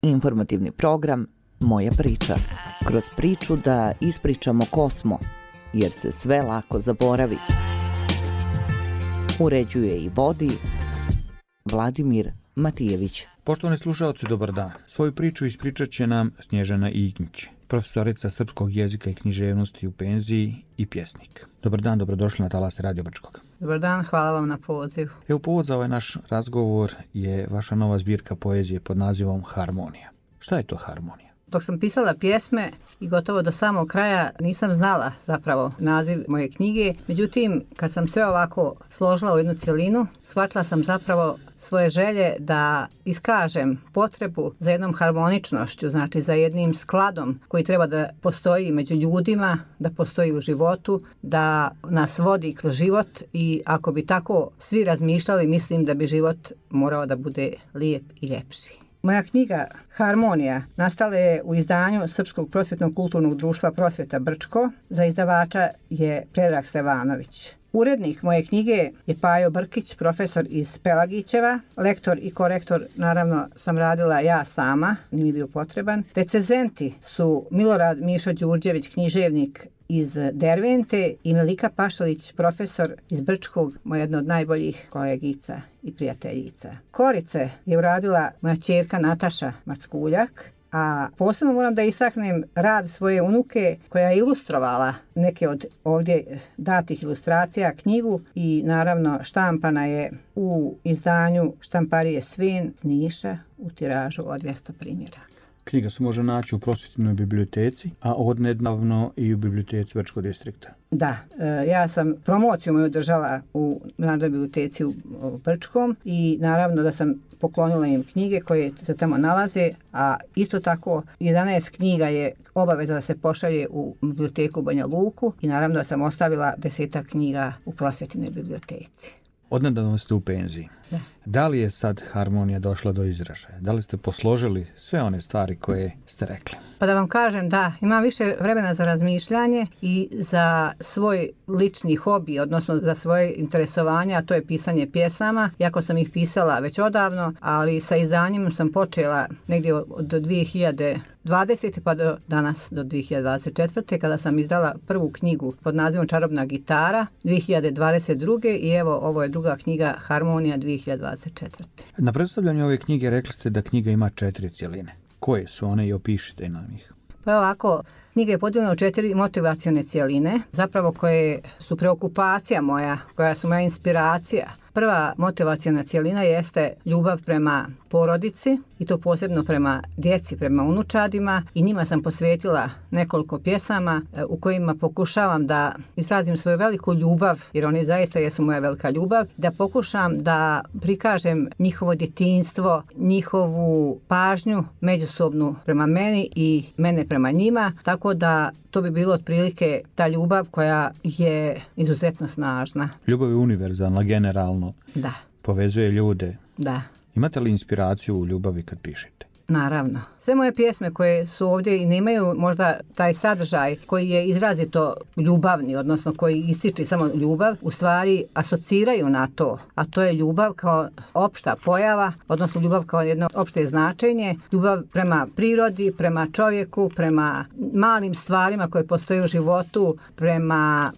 Informativni program Moja priča. Kroz priču da ispričamo ko smo, jer se sve lako zaboravi. Uređuje i vodi Vladimir Matijević. Poštovani slušaoci, dobar dan. Svoju priču ispričat će nam Snježana Ignjić, profesorica srpskog jezika i književnosti u penziji i pjesnik. Dobar dan, dobrodošli na Talase Radio Brčkog. Dobar dan, hvala vam na pozivu. Evo, povod za ovaj naš razgovor je vaša nova zbirka poezije pod nazivom Harmonija. Šta je to harmonija? Dok sam pisala pjesme i gotovo do samog kraja nisam znala zapravo naziv moje knjige. Međutim, kad sam sve ovako složila u jednu cjelinu, shvatila sam zapravo svoje želje da iskažem potrebu za jednom harmoničnošću, znači za jednim skladom koji treba da postoji među ljudima, da postoji u životu, da nas vodi kroz život i ako bi tako svi razmišljali, mislim da bi život morao da bude lijep i ljepši. Moja knjiga Harmonija nastala je u izdanju Srpskog prosvjetnog kulturnog društva Prosvjeta Brčko. Za izdavača je Predrag Stevanović. Urednik moje knjige je Pajo Brkić, profesor iz Pelagićeva. Lektor i korektor, naravno, sam radila ja sama, nije mi bio potreban. Recenzenti su Milorad Mišo Đurđević, književnik iz Dervente, i Melika Pašalić, profesor iz Brčkog, moja jedna od najboljih kolegica i prijateljica. Korice je uradila moja ćerka Nataša Mackuljak, a posebno moram da istaknem rad svoje unuke koja je ilustrovala neke od ovdje datih ilustracija, knjigu, i naravno štampana je u izdanju Štamparije Svin iz Niša u tiražu od 200 primjeraka. Knjiga se može naći u prosvjetnoj biblioteci, a odnedavno i u biblioteci Brčkog distrikta. Da, ja sam promociju moju držala u Narodnoj biblioteci u Brčkom i naravno da sam poklonila im knjige koje se tamo nalaze, a isto tako 11 knjiga je obaveza da se pošalje u biblioteku Banja Luku i naravno da sam ostavila 10 knjiga u prosvjetnoj biblioteci. Odnedavno ste u penziji. Da. Da li je sad harmonija došla do izražaja? Da li ste posložili sve one stvari koje ste rekli? Pa da vam kažem, da, imam više vremena za razmišljanje i za svoj lični hobi, odnosno za svoje interesovanje, a to je pisanje pjesama. Iako sam ih pisala već odavno, ali sa izdanjem sam počela negdje od 2020. pa do danas, do 2024. kada sam izdala prvu knjigu pod nazivom Čarobna gitara 2022. i evo, ovo je druga knjiga Harmonija 2024. Na predstavljanju ove knjige rekli ste da knjiga ima 4 cjeline. Koje su one i opišite nam ih? Pa ovako, knjiga je podijeljena u 4 motivacione cjeline, zapravo koje su preokupacija moja, koja su moja inspiracija. Prva motivaciona cjelina jeste ljubav prema porodici i to posebno prema djeci, prema unučadima, i njima sam posvetila nekoliko pjesama u kojima pokušavam da izrazim svoju veliku ljubav, jer oni zaista jesu moja velika ljubav, da pokušam da prikažem njihovo djetinjstvo, njihovu pažnju međusobnu prema meni i mene prema njima, tako da to bi bilo otprilike ta ljubav koja je izuzetno snažna. Ljubav je univerzalna, generalno. Da. Povezuje ljude. Da. Imate li inspiraciju u ljubavi kad pišete? Naravno. Sve moje pjesme koje su ovdje i nemaju možda taj sadržaj koji je izrazito ljubavni, odnosno koji ističe samo ljubav, u stvari asociraju na to, a to je ljubav kao opšta pojava, odnosno ljubav kao jedno opšte značenje, ljubav prema prirodi, prema čovjeku, prema malim stvarima koje postoje u životu, prema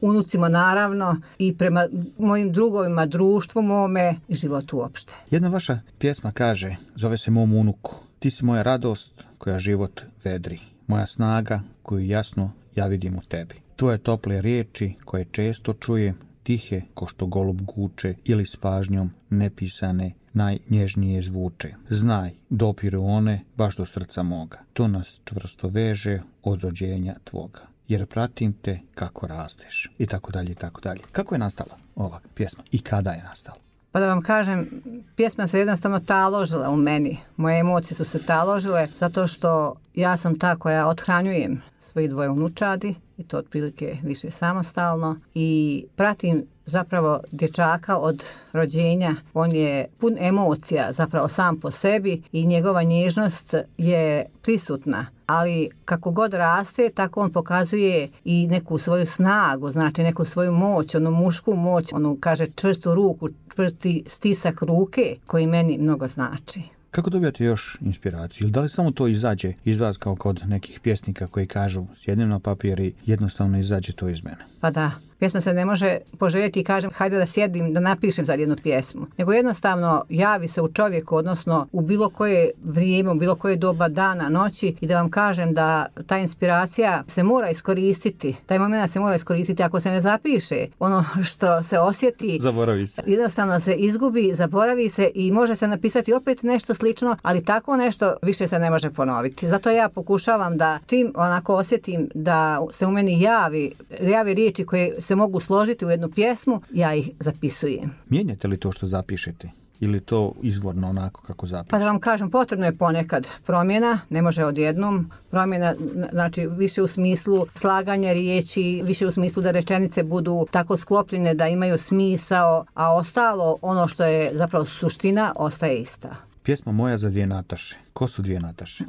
unucima naravno, i prema mojim drugovima, društvu mome i životu uopšte. Jedna vaša pjesma kaže, zove se Mom unuku: ti si moja radost koja život vedri, moja snaga koju jasno ja vidim u tebi. Tvoje tople riječi koje često čujem, tihe ko što golub guče ili s pažnjom nepisane najnježnije zvuče. Znaj, dopiru one baš do srca moga, to nas čvrsto veže od rođenja tvoga, jer pratim te kako rasteš, i tako dalje, i tako dalje. Kako je nastala ova pjesma i kada je nastala? Pa da vam kažem, pjesma se jednostavno taložila u meni. Moje emocije su se taložile zato što ja sam ta koja othranjujem svoji 2 unučadi i to otprilike više samostalno i pratim zapravo dječaka od rođenja. On je pun emocija zapravo sam po sebi i njegova nježnost je prisutna. Ali kako god raste, tako on pokazuje i neku svoju snagu, znači neku svoju moć, onu mušku moć, onu kaže čvrstu ruku, čvrsti stisak ruke koji meni mnogo znači. Kako dobijate još inspiraciju? Ili da li samo to izađe iz vas kao kod nekih pjesnika koji kažu sjednem na papir i jednostavno izađe to iz mene? Pa da, pjesma se ne može poželjeti i kažem hajde da sjedim da napišem sad jednu pjesmu. Nego jednostavno javi se u čovjeku, odnosno u bilo koje vrijeme, u bilo koje doba dana, noći i da vam kažem da ta inspiracija se mora iskoristiti. Taj moment se mora iskoristiti. Ako se ne zapiše ono što se osjeti, Zaboravi se. Jednostavno se izgubi, zaboravi se i može se napisati opet nešto slično, ali tako nešto više se ne može ponoviti. Zato ja pokušavam da čim onako osjetim da se u meni javi riječi koje se mogu složiti u jednu pjesmu, ja ih zapisujem. Mijenjate li to što zapišete? Ili to izvorno onako kako zapišete? Pa da vam kažem, potrebno je ponekad promjena, ne može odjednom. Promjena, znači više u smislu slaganja riječi, više u smislu da rečenice budu tako sklopljene da imaju smisao, a ostalo, ono što je zapravo suština, ostaje ista. Pjesma moja za dvije Nataše. Ko su dvije Nataše?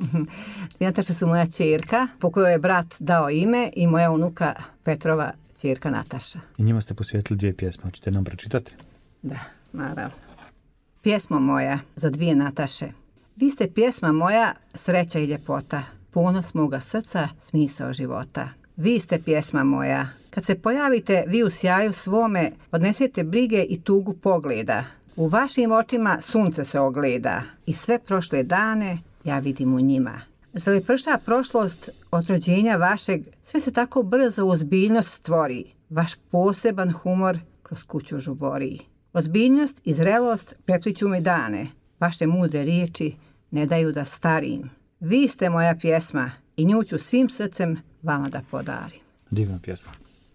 Dvije Nataše su moja ćerka, po kojoj je brat dao ime, i moja unuka Petrova ćerka Nataša. I njima ste posvetili dvije pjesme. Hoćete nam pročitati? Da, naravno. Pjesma moja za dvije Nataše. Vi ste pjesma moja, sreća i ljepota, ponos moga srca, smisao života. Vi ste pjesma moja. Kad se pojavite vi u sjaju svome, odnesete brige i tugu pogleda. U vašim očima sunce se ogleda i sve prošle dane ja vidim u njima. Zar li prša prošlost od rođenja vašeg, sve se tako brzo u ozbiljnost stvori. Vaš poseban humor kroz kuću žubori. Ozbiljnost i zrelost prepliću mi dane. Vaše mudre riječi ne daju da starim. Vi ste moja pjesma i nju ću svim srcem vama da podarim. Divna pjesma.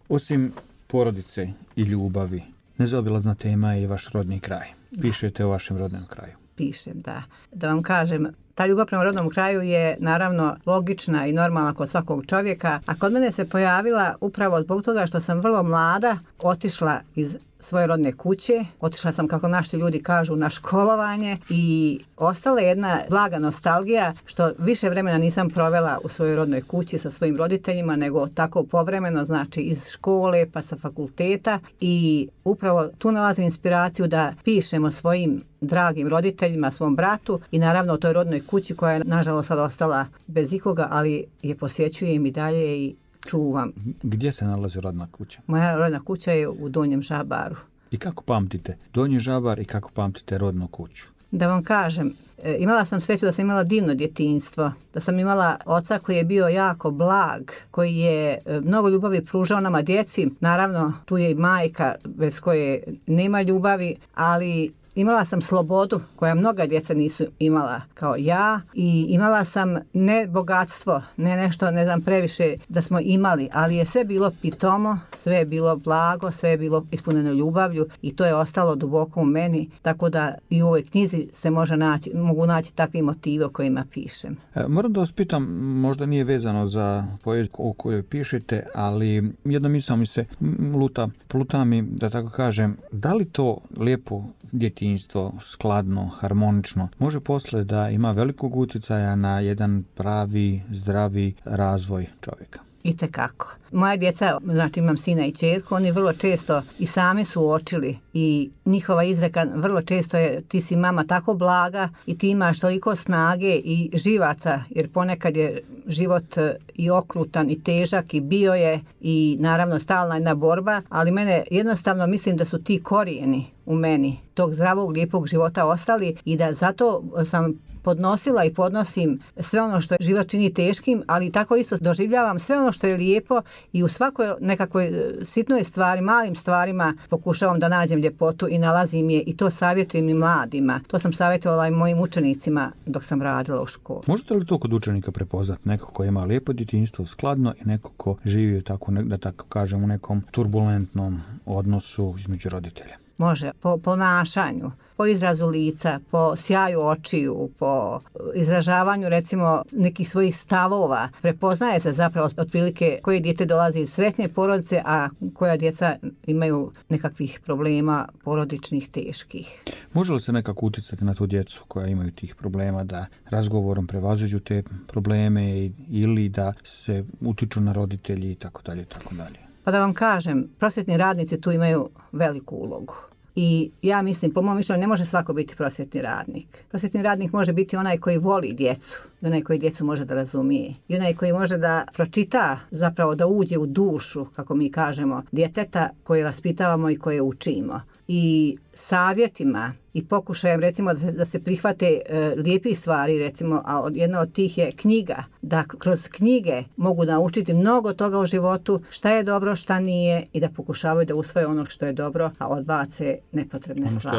Osim porodice i ljubavi, nezaobilazna tema je i vaš rodni kraj. Pišete o vašem rodnom kraju. Pišem, da. Da vam kažem, ta ljubav prema rodnom kraju je naravno logična i normalna kod svakog čovjeka, a kod mene se pojavila upravo zbog toga što sam vrlo mlada otišla iz svoje rodne kuće. Otišla sam, kako naši ljudi kažu, na školovanje i ostala je jedna blaga nostalgija što više vremena nisam provela u svojoj rodnoj kući sa svojim roditeljima, nego tako povremeno, znači iz škole pa sa fakulteta, i upravo tu nalazim inspiraciju da pišem o svojim dragim roditeljima, svom bratu i naravno o toj rodnoj kući koja je nažalost sad ostala bez ikoga, ali je posjećujem i dalje i čuvam. Gdje se nalazi rodna kuća? Moja rodna kuća je u Donjem Žabaru. I kako pamtite Donji Žabar i kako pamtite rodnu kuću? Da vam kažem, imala sam sreću da sam imala divno djetinjstvo, da sam imala oca koji je bio jako blag, koji je mnogo ljubavi pružao nama djeci. Naravno, tu je i majka bez koje nema ljubavi, ali imala sam slobodu koja mnoga djeca nisu imala kao ja, i imala sam ne bogatstvo, ne nešto, ne znam, previše da smo imali, ali je sve bilo pitomo, sve je bilo blago, sve je bilo ispunjeno ljubavlju i to je ostalo duboko u meni, tako da i u ovoj knjizi se mogu naći takvi motivi o kojima pišem. Moram da vas pitam, možda nije vezano za poeziju o kojoj pišete, ali jedna misao mi se pluta mi, da tako kažem, da li to lijepo djetinjstvo, skladno, harmonično, može posle da ima velikog utjecaja na jedan pravi, zdravi razvoj čovjeka? Itekako. Moja djeca, znači imam sina i ćerku, oni vrlo često i sami su uočili i njihova izreka vrlo često je ti si mama tako blaga i ti imaš toliko snage i živaca, jer ponekad je život i okrutan i težak i bio je i naravno stalna jedna borba, ali mene jednostavno mislim da su ti korijeni u meni tog zdravog, lijepog života ostali i da zato sam podnosila i podnosim sve ono što život čini teškim, ali tako isto doživljavam sve ono što je lijepo i u svakoj nekakvoj sitnoj stvari, malim stvarima pokušavam da nađem ljepotu i nalazim je i to savjetujem i mladima. To sam savjetovala i mojim učenicima dok sam radila u školi. Možete li to kod učenika prepoznati? Neko ko ima lijepo djetinjstvo, skladno, i neko ko živi tako, da tako kažem, u nekom turbulentnom odnosu između roditelja? Može, po ponašanju, po izrazu lica, po sjaju očiju, po izražavanju recimo nekih svojih stavova. Prepoznaje se zapravo otprilike koje dijete dolazi iz sretne porodice, a koja djeca imaju nekakvih problema porodičnih teških. Može li se nekako utjecati na tu djecu koja imaju tih problema da razgovorom prevaziđu te probleme ili da se utiču na roditelji i tako dalje i tako dalje? Pa da vam kažem, prosvjetni radnici tu imaju veliku ulogu. I ja mislim, po mom mišljenju, ne može svako biti prosvjetni radnik. Prosvjetni radnik može biti onaj koji voli djecu, i onaj koji djecu može da razumije, i onaj koji može da pročita, zapravo da uđe u dušu, kako mi kažemo, djeteta koje vaspitavamo i koje učimo. I savjetima i pokušajem, recimo, da se prihvate lijepi stvari, recimo, a jedna od tih je knjiga, da kroz knjige mogu naučiti mnogo toga u životu, šta je dobro, šta nije, i da pokušavaju da usvoje ono što je dobro, a odbace nepotrebne stvari.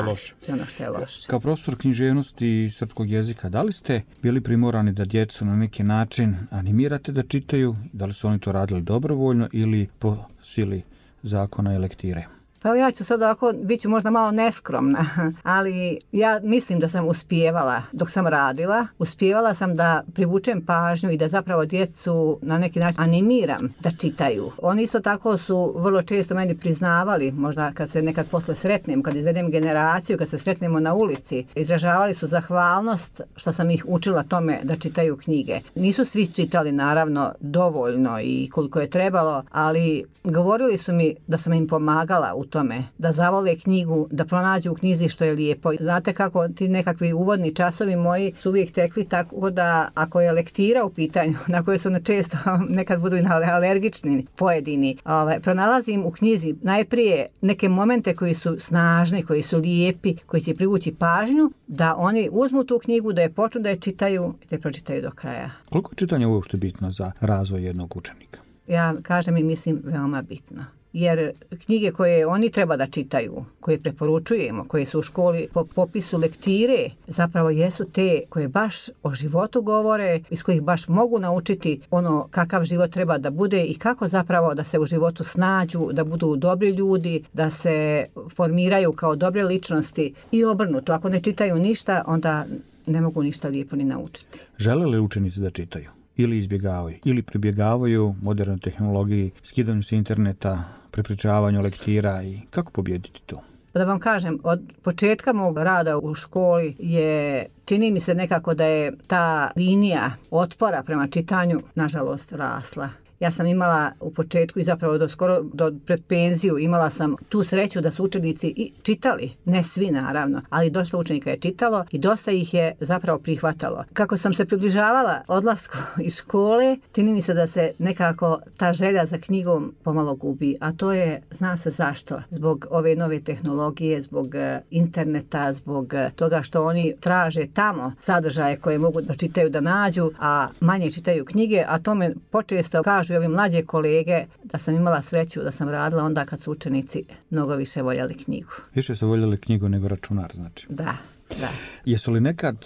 Ono što je loše. Kao profesor književnosti i srpskog jezika, da li ste bili primorani da djecu na neki način animirate da čitaju? Da li su oni to radili dobrovoljno ili po sili zakona i lektire? Pa ja ću sad ovako, bit ću možda malo neskromna, ali ja mislim da sam uspijevala, dok sam radila, uspijevala sam da privučem pažnju i da zapravo djecu na neki način animiram da čitaju. Oni isto tako su vrlo često meni priznavali, možda kad se nekad posle sretnem, kad izvedem generaciju, kad se sretnemo na ulici, izražavali su zahvalnost što sam ih učila tome da čitaju knjige. Nisu svi čitali naravno dovoljno i koliko je trebalo, ali govorili su mi da sam im pomagala u tome, da zavole knjigu, da pronađu u knjizi što je lijepo. Znate kako ti nekakvi uvodni časovi moji su uvijek tekli tako da ako je lektira u pitanju, na koje su često nekad budu alergični pojedini, pronalazim u knjizi najprije neke momente koji su snažni, koji su lijepi, koji će privući pažnju, da oni uzmu tu knjigu, da je počnu da je čitaju i da je pročitaju do kraja. Koliko je čitanje uopšte bitno za razvoj jednog učenika? Ja kažem i mislim veoma bitno. Jer knjige koje oni treba da čitaju, koje preporučujemo, koje su u školi po popisu lektire, zapravo jesu te koje baš o životu govore, iz kojih baš mogu naučiti ono kakav život treba da bude i kako zapravo da se u životu snađu, da budu dobri ljudi, da se formiraju kao dobre ličnosti i obrnuto. Ako ne čitaju ništa, onda ne mogu ništa lijepo ni naučiti. Žele li učenici da čitaju? Ili izbjegavaju, ili pribjegavaju modernoj tehnologiji, skidanju sa interneta, prepričavanju lektira i kako pobijediti to? Da vam kažem, od početka mog rada u školi čini mi se nekako da je ta linija otpora prema čitanju, nažalost, rasla. Ja sam imala u početku i zapravo do pred penziju imala sam tu sreću da su učenici i čitali, ne svi naravno, ali dosta učenika je čitalo i dosta ih je zapravo prihvatalo. Kako sam se približavala odlasku iz škole, čini mi se da se nekako ta želja za knjigom pomalo gubi, a to je, zna se zašto, zbog ove nove tehnologije, zbog interneta, zbog toga što oni traže tamo sadržaje koje mogu da čitaju, da nađu, a manje čitaju knjige, a to me počesto kažu i ovi mlađe kolege da sam imala sreću da sam radila onda kad su učenici mnogo više voljeli knjigu. Više su voljeli knjigu nego računar, znači. Da. Jesu li nekad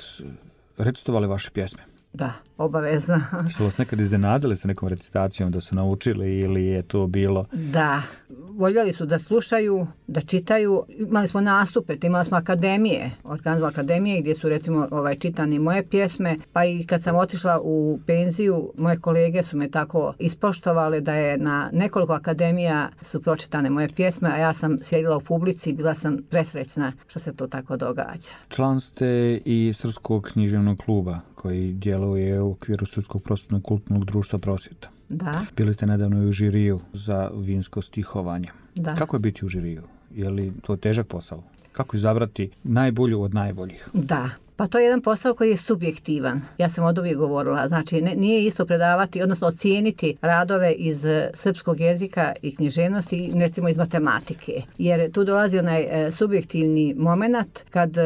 recitovali vaše pjesme? Da, obavezno. Su vas nekad iznenadili sa nekom recitacijom da su naučili ili je to bilo? Da, voljeli su da slušaju, da čitaju. Imali smo nastupe, imali smo akademije, organizovali akademije gdje su recimo čitani moje pjesme, pa i kad sam otišla u penziju, moje kolege su me tako ispoštovale da je na nekoliko akademija su pročitane moje pjesme, a ja sam sjedila u publici i bila sam presrećna što se to tako događa. Član ste i Srpskog književnog kluba koji djeluje u okviru Srpskog prosvjetnog kulturnog društva Prosvjeta. Da. Bili ste nedavno i u žiriju za vinsko stihovanje. Da. Kako je biti u žiriju? Je li to težak posao? Kako izabrati najbolju od najboljih? Da. Pa to je jedan posao koji je subjektivan. Ja sam od uvijek govorila. Znači, nije isto predavati, odnosno ocijeniti radove iz srpskog jezika i književnosti, recimo iz matematike. Jer tu dolazi onaj subjektivni moment kad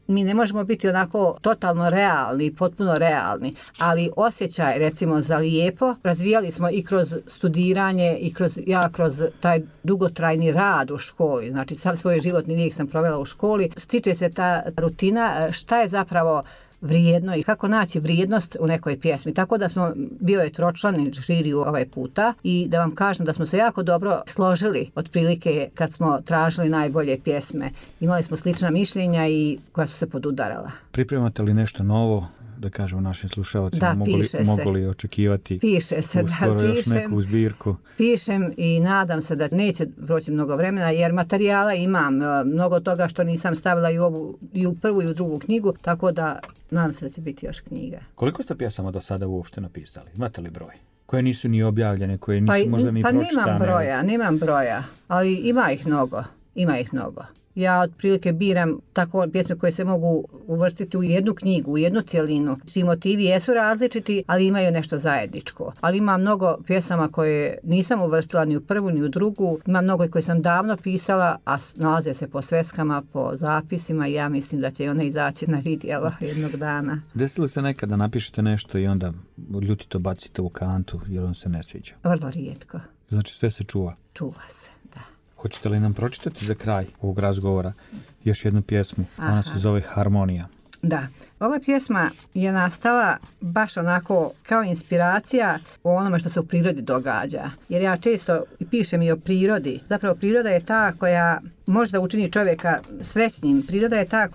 mi ne možemo biti onako totalno realni, potpuno realni, ali osjećaj recimo za lijepo razvijali smo i kroz studiranje i kroz taj dugotrajni rad u školi. Znači, sav svoj životni vijek sam provela u školi. Stiče se ta rutina šta je zapravo vrijedno i kako naći vrijednost u nekoj pjesmi. Tako da smo bio je tročlani žiriju ovaj puta i da vam kažem da smo se jako dobro složili otprilike kad smo tražili najbolje pjesme. Imali smo slična mišljenja i koja su se podudarala. Pripremate li nešto novo? Da kažemo našim slušalcima, da, mogu li očekivati uskoro još neku zbirku? Pišem i nadam se da neće proći mnogo vremena jer materijala imam, mnogo toga što nisam stavila i u prvu i u drugu knjigu, tako da nadam se da će biti još knjiga. Koliko ste pjesama do sada uopšte napisali? Imate li broj? Koje nisu ni objavljene, koje nisu možda ni pročitane? Nemam broja, ali ima ih mnogo. Ja otprilike biram tako pjesme koje se mogu uvrstiti u jednu knjigu, u jednu cjelinu. Svi motivi jesu različiti, ali imaju nešto zajedničko. Ali ima mnogo pjesama koje nisam uvrstila ni u prvu ni u drugu. Ima mnogo koje sam davno pisala, a nalaze se po sveskama, po zapisima i ja mislim da će one izaći na vidjelo jednog dana. Desilo se nekada napišete nešto i onda ljutito bacite u kantu jer on se ne sviđa? Vrlo rijetko. Znači sve se čuva? Čuva se, da. Hoćete li nam pročitati za kraj ovog razgovora još jednu pjesmu? Aha. Ona se zove Harmonija. Da, ova pjesma je nastala baš onako kao inspiracija o onome što se u prirodi događa. Jer ja često pišem i o prirodi. Zapravo priroda je ta koja možda učini čovjeka srećnim. Priroda je ta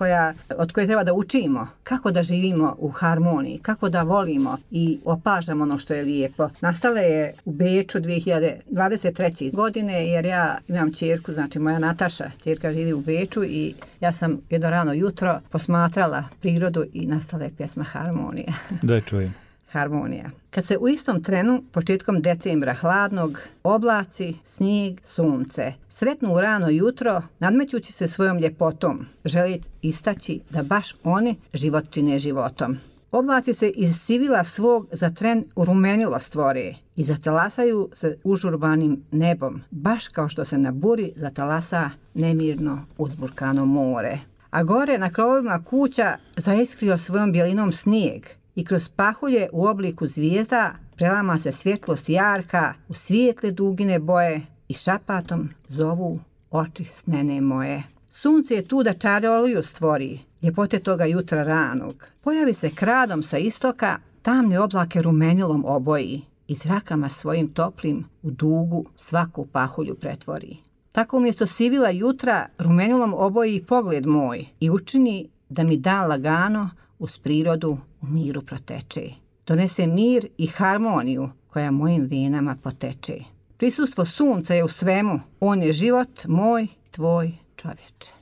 od koje treba da učimo kako da živimo u harmoniji, kako da volimo i opažamo ono što je lijepo. Nastala je u Beču 2023. godine jer ja imam ćerku, znači moja Nataša, ćerka živi u Beču i ja sam jedno rano jutro posmatrala prirodu i nastala je pjesma Harmonija. Da je čujem. Harmonija. Kad se u istom trenu, početkom decembra hladnog, oblaci, snijeg, sunce, sretnu u rano jutro, nadmećući se svojom ljepotom, želi istaći da baš oni život čine životom. Oblaci se iz sivila svog za tren urumenilo stvore i zatalasaju se užurbanim nebom, baš kao što se na buri zatalasa nemirno uzburkano more. A gore na krovovima kuća zaiskrio svojom bijelinom snijeg i kroz pahulje u obliku zvijezda prelama se svjetlost jarka u svijetle dugine boje i šapatom zovu oči snene moje. Sunce je tu da čaroliju stvori, ljepote toga jutra ranog. Pojavi se kradom sa istoka, tamne oblake rumenilom oboji i zrakama svojim toplim u dugu svaku pahulju pretvori. Tako umjesto sivila jutra rumenilom oboji pogled moj i učini da mi dan lagano uz prirodu u miru proteče. Donese mir i harmoniju koja mojim venama poteče. Prisustvo sunca je u svemu, on je život moj, tvoj, čovječe.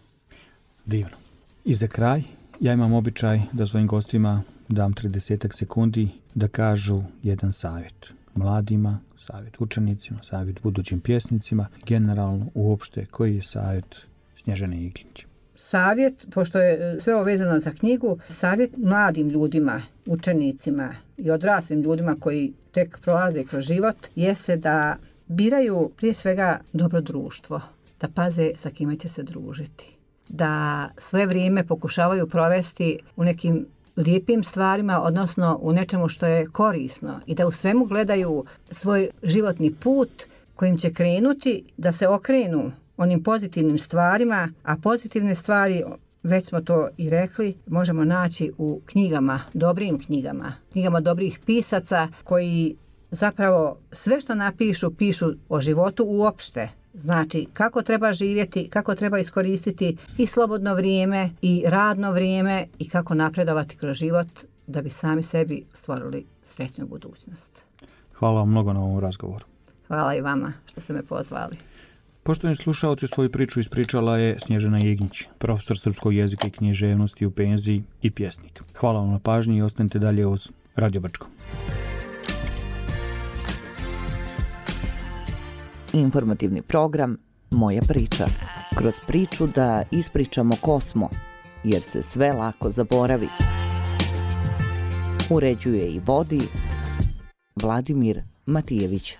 Divno. I za kraj, ja imam običaj da svojim gostima dam 30 sekundi da kažu jedan savjet. Mladima, savjet učenicima, savjet budućim pjesnicima, generalno uopšte koji je savjet Snježane Iglić? Savjet, pošto je sve ovo vezano za knjigu, savjet mladim ljudima, učenicima i odraslim ljudima koji tek prolaze kroz život, jeste da biraju prije svega dobro društvo, da paze sa kime će se družiti, da svoje vrijeme pokušavaju provesti u nekim lijepim stvarima, odnosno u nečemu što je korisno i da u svemu gledaju svoj životni put kojim će krenuti, da se okrenu onim pozitivnim stvarima, a pozitivne stvari, već smo to i rekli, možemo naći u knjigama, dobrim knjigama, knjigama dobrih pisaca koji zapravo sve što napišu, pišu o životu uopšte. Znači kako treba živjeti, kako treba iskoristiti i slobodno vrijeme i radno vrijeme i kako napredovati kroz život da bi sami sebi stvorili srećnu budućnost. Hvala vam mnogo na ovom razgovoru. Hvala i vama što ste me pozvali. Poštovani slušalci, svoju priču ispričala je Snježana Iglić, profesor srpskog jezika i književnosti u penziji i pjesnik. Hvala vam na pažnji i ostanite dalje uz Radio Brčko. Informativni program Moja priča. Kroz priču da ispričamo ko smo, jer se sve lako zaboravi. Uređuje i vodi Vladimir Matijević.